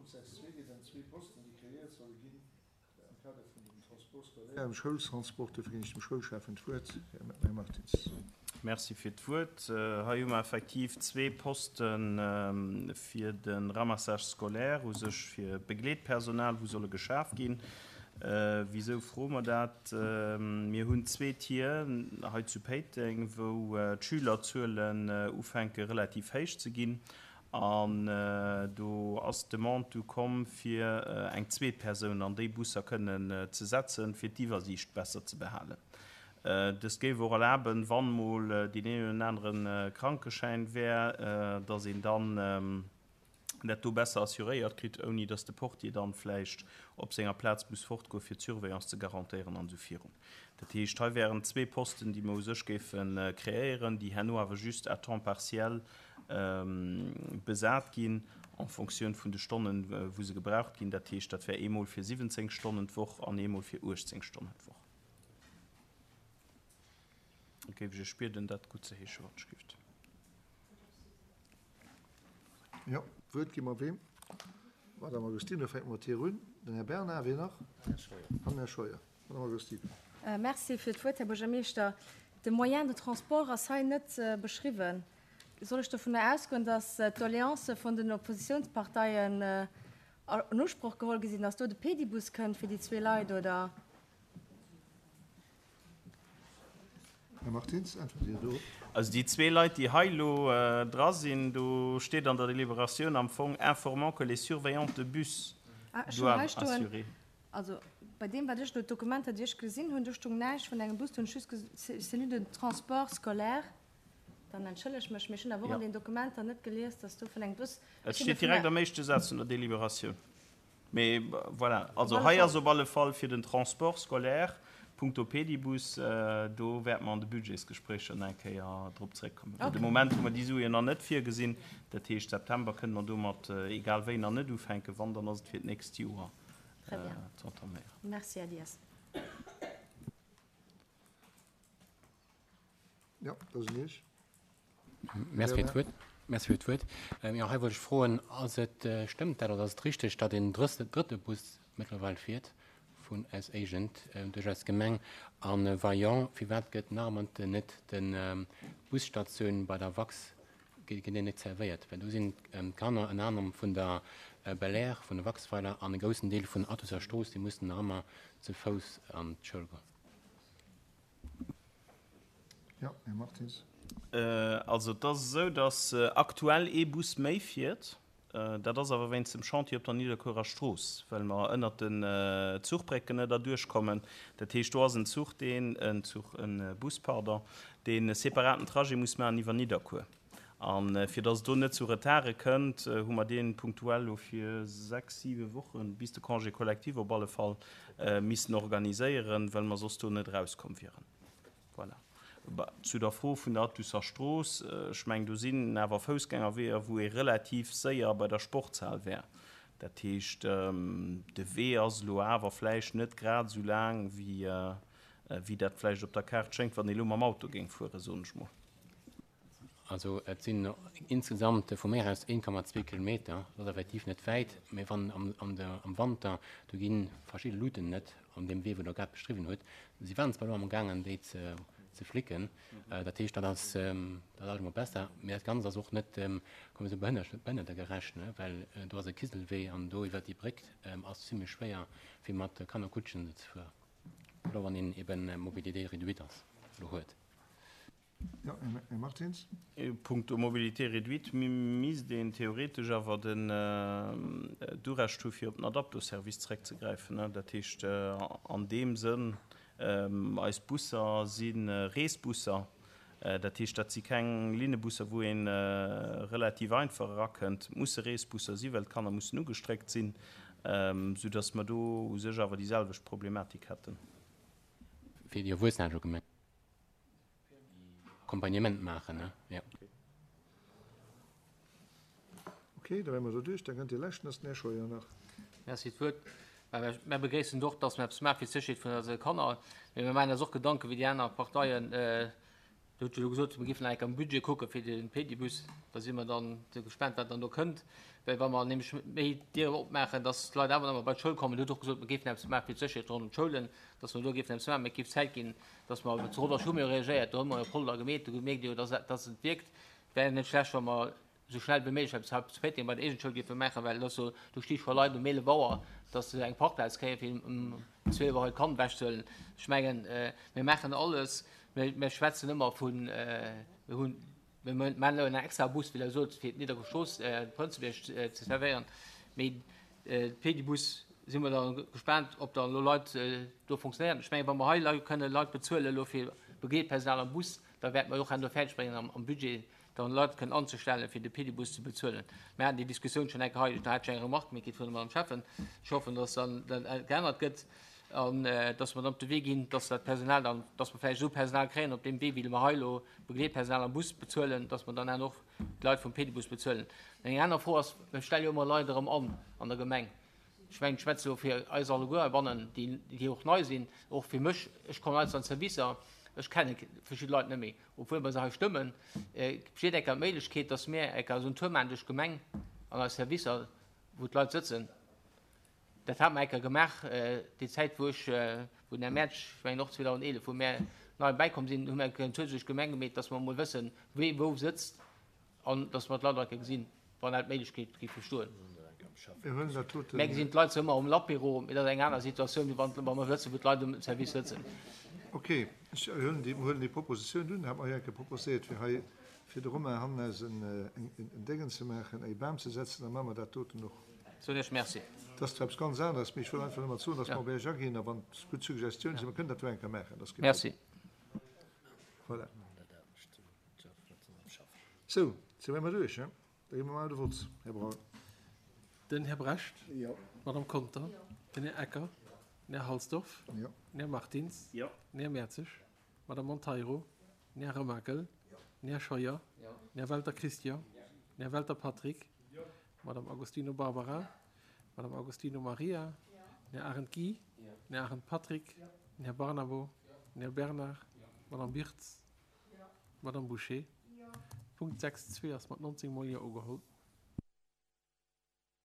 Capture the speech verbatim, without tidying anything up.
Punkt sechs zwee geet ëm zwee Posten, déi kreéiert solle ginn am Kader vun dem Transport scolaire, dem Schoultransport. Dofir ginn ech dem Schoulschäffen d'Wuert, Här Martins. Merci fir d'Wuert. Hei hu mer effektiv zwee Poste fir de Ramassage scolaire, u sech fir Begleetpersonal, wou solle geschaf ginn. Wisou froe mer dat? Mir hunn zwee Tier hei zu Péiteng, wou d'Schülerzuelen ufänke relativ héich ze ginn. An do ass d'Demande du komm, fir eng zweet Persoun an déi Busser kënnen ze setzen, fir d'Iwwersiicht besser ze behalen. Dëst géif och erlaben, wann mol deen een oder anere Krankeschäin wär, dass een dann dat do besser assuréiert kritt, ouni dass de Portier dann vläicht op senger Plaz muss fortgoen, fir d'Surveillance ze garantéieren an esou virun. Dat heescht, hei wären zwee Posten, déi mer u sech géife kreéieren, déi herno awer just à temps partiel besat ginn, en fonction vun de Stonnen, wou se gebraucht ginn. Dat heescht, dat wär eemol fir siwwenzéng Stonnen d'Woch an eemol fir uechtzéng Stonnen d'Woch. Da géif ech Iech bieden, dat guttzeheeschen, wat ech gift. Jo, d'Wuert gi mer weem? Madame Agostino, fänke mer mat hir un. Den Här Bernard, wien nach? An den Här Scheuer. Madame Agostino. Merci fir d'Wuert, Här Buergermeeschter. De Moyen de transport ass hei net beschriwwen. Soll ech dovunner ausgoen, datt d'Doleancë vun den Oppositionsparteien an Usproch geholl gi sinn, datt do de Pedibus kënnt fir déi zwee Leit, oder? Här Martins, äntwert Dir do? Also déi zwee Leit, déi hei elo dra sinn, do steet an der Deliberatioun am Fong informant que les surveillants de bus Ah, ech hunn hei doivent stoen, assurer. also bei deem, wat ech elo, d'Dokumenter, déi ech gesinn hunn, do stoung näischt vun engem Bus, do hunn ech just ges-, Cellule de transport scolaire. Dann entschëlleg mech, mee ech hunn awer och Ja. an den Dokumenter net gelies, dass do vun engem Bus, Et ech sinn steet dovunner direkt am éischte Saz vun der Deliberatioun. Mee voilà, Op also alle hei Fall. ass op alle Fall fir den Transport scolaire punkto Pedibus, do wäerte mer an de Budgetsgespréicher nach eng Kéier drop zréckkommen. Well de Okay. Moment hu mer déi Suen nach net virgesinn. Dat heescht, September kënne mer domat egal wéi nach net ufänken. Wann, dann ass et fir d'nächst Joer Très bien. ze entaméieren. Merci, Här Dias. Jo, dat ass un Iech. Merci fir d'Wuert. Merci fir d'Wuert. Jo, hei wollt ech froen, ass et, stëmmt dat oder ass et richteg, datt een drëtte Bus mëttlerweil fiert vun aus Éigent duerch eis Gemeng? A wa jo, firwat gëtt nach ëmmer net de Busstatioun bei der Wax, gëtt deen net servéiert? Well do sinn d'Kanner ënner anerem vun der Belair, vun de Waxweiler an e groussen Deel vun Athuser Strooss, déi mussen nach ëmmer ze Fouss an d'Schoul goen. Jo, Här Martins. Also et ass esou, datt aktuell ee Bus méi fiert. Dat ass awer wéinst dem Chantier op der Nidderkuerer Strooss, well mer ënnert den Zuchbrécken net erduerch kommen. Dat heescht, do ass en Zuch, deen, en Zuch, e Bus, pardon, deen e separaten Trajet muss maachen iwwer Nidderkuer. A fir datt et do net zu Retarde kënnt, hu mer dee punktuell elo fir sechs, siwe Wochen, bis de Congé collectif op alle Fall, missen organiséieren, well mer soss do net erauskomm wieren. Voilà. Zu der Fro vun der Athuser Strooss, ech mengen, do sinn awer Foussgängerweeër, wou ee relativ séier bei der Sportshal wär. Dat heescht, de Wee ass elo awer vläicht net grad esou laang, wéi dat vläicht op der Kaart schéngt, wann ee elo mam Auto géing fueren, soen ech mol. Also et sinn insgesamt vu mir aus een Komma zwee Kilometer, dat ass effektiv net wäit, mee wann am, am, der, am Wanter, do gi verschidde Luuten net an deem Wee, wou Der grad beschriwwen hutt. Si waren zwar elo am gaangen, déi ze, ze flicken, dat heescht, dat ass, dat ass emol besser, mee dat Ganzt ass och net, komm esou behënnertegerecht, ne, well do ass e Kiselwee an do iwwer déi Bréck ass zimmlech schwéier, fir mat Kannerkutschen ze fueren, oder wann een eben Mobilité réduite ass, elo huet. Jo, Här Martins. Punkto Mobilité réduite misst een theoretesch awer den d'Urecht hu fir op den Adapto-Service zeréckzegräifen. Dat heescht an deem Sënn, eis Busser si Reesbusser, dat heescht dat si keng Linnebusser, wou ee relativ einfach erakënnt. Et musse Reesbusser si well d'Kanner mussen ugestréckt sinn, soudass mer do u sech awer déi selwecht Problematik hätten. Fir déi Erwuessener hat ech elo gemengt. Accompagnement maachen, ne? Ja. Okay, da wäre mer do duerch. Da kënnt dee leschten, ass den Här Scheuer nach. Merci fir d'Wuert. Mä mir begréissen och, dass mer eppes maache fir d'Sécherheet vun eise Kanner. Mee mir maachen eis och Gedanken, wéi déi aner Parteien. Dir hutt jo elo gesot, mir géifen nach eng Kéier am Budget kucke fir de Pedibus. Da si mer dann gespaant, wat dann do kënnt. Well wa mer nämlech méi Dieren opmaachen, dass d'Leit awer nach emol bei d'Schoul kommen. Dir hutt och gesot, mer géifen eppes maache fir d'Sécherheet ronderëm d'Schoulen, dass mer do géifen eppes maachen. Mä et géif Zäit ginn, dass mer, zu Rodange hu mir jo reagéiert, do hu mer jo Polder gemeet, do mierkt Dir jo, dass, dass et wierkt. Et wär net schlecht, wa mer esou schnell wéi méiglech eppes hei zu Péiteng bei der Eegent-Schoul géife maachen, well et ass jo, do sti scho Leit um eelef Auer, dass se eng Parkplaz kréien, fir um zwielef Auer hiert Kand ewechzehuelen. Ech mengen, mir maachen alles, mir, mir schwätzen ëmmer vun, mir hunn, Mir maachen elo en extra Bus, wéi Der sot, fir d'Nidderkuer-Strooss, de Prënzebierg ze servéieren. Mee de Pedibus si mer da gespaant, ob da elo Leit do fonctionnéieren. Ech mengen, wa mer hei Leit kënne Leit bezuelen elo fir Begleetpersonal am Bus, da wäerte mer och herno fäerdeg bréngen am Budget dann Leit kënnen anzestellen, fir de Pedibus ze bezuelen. Mir haten déi Diskussioun schonn eng Kéier hei, do hat ech eng Remark méi kritt vun der Madame Schäffen. Ech hoffen, dass dann dat geännert gëtt an dass mer dann op de Wee ginn, dass dat Personal dann, dass mer vläicht esou Personal kréien op deem Wee, wéi mer hei elo Begleetpersonal am Bus bezuelen, dass mer dann herno och d'Leit vum Pedibus bezuelen. Eng aner Fro ass, Mir stelle jo ëmmer Leit erëm an an der Gemeng. Ech mengen, ech schwätze elo fir eis alleguer heibannen, déi, déi och nei sinn, och fir mech, ech kommen heiansdo an d'Servicer, ech kenne verschidde Leit net méi, obwuel mer se hei stëmmen. Besteet enker d'Méiglechkeet, dass mir enker esou en Tour maachen duerch d'Gemeng an eis Servicer, wou d'Leit sëtzen? Dat hate mer eng Kéier gemaach, déi Zäit, wou ech, wou den Här Mertsch, ech mengen och zweedausendeelef, wou mär nei bäikomm sinn, hu mir eng Kéier en Tour duerch d'Gemeng gemeet, dass mer emol wëssen, wee wou sëtzt an dass mer d'Leit och eng Kéier gesinn, wann dat d'Méiglechkeet géif bestoen. Mir huelen dat doten. Mär gesinn d'Leit zwar ëmmer um Lapéro, mee dat ass eng aner Situatioun, wéi wann, wa mer wëssen, wou d'Leit um Service sëtzen. Ok, ech huelen déi, huelen déi Propositioun un. Hat mer jo eng Kéier proposéiert, fir hei fir de Romain Hannes en, en Déngen ze maachen, e Bam ze setzen, da maache mer dat doten och. Soen Iech Merci. Dat ass zwar eppes ganz aneres, mee ech wëll einfach nëmmen soen, dass mer op Iech aginn a wann et gutt Suggestiounen sinn, mer kënnen dat jo eng Kéier maachen, dat ass kee Merci. Problem. Voilà. Sou, si mer duerch, he? Da gi mer mol de Vott, Här Braun. Den Här Brecht. Jo. D'Madame Conter. Jo. Den Här Ecker. Den Här Halsdorf. Jo. Den Här Martins. Jo. Den Här Mertzig. D'Madame Monteiro. Den Här Remakel. Den Här Scheuer. Den Här Welter Christian. Den Här Welter Patrick. D'Madame Agostino Barbara. D'Madame Agostino Maria. Den Här Arendt Guy. Den Här Arendt Patrick. Den Här Barnabo. Den Här Bernard. D'Madame Birtz. D'Madame Bouché. Punkt sechs zwee ass mat nonzéng mol Jo ugeholl.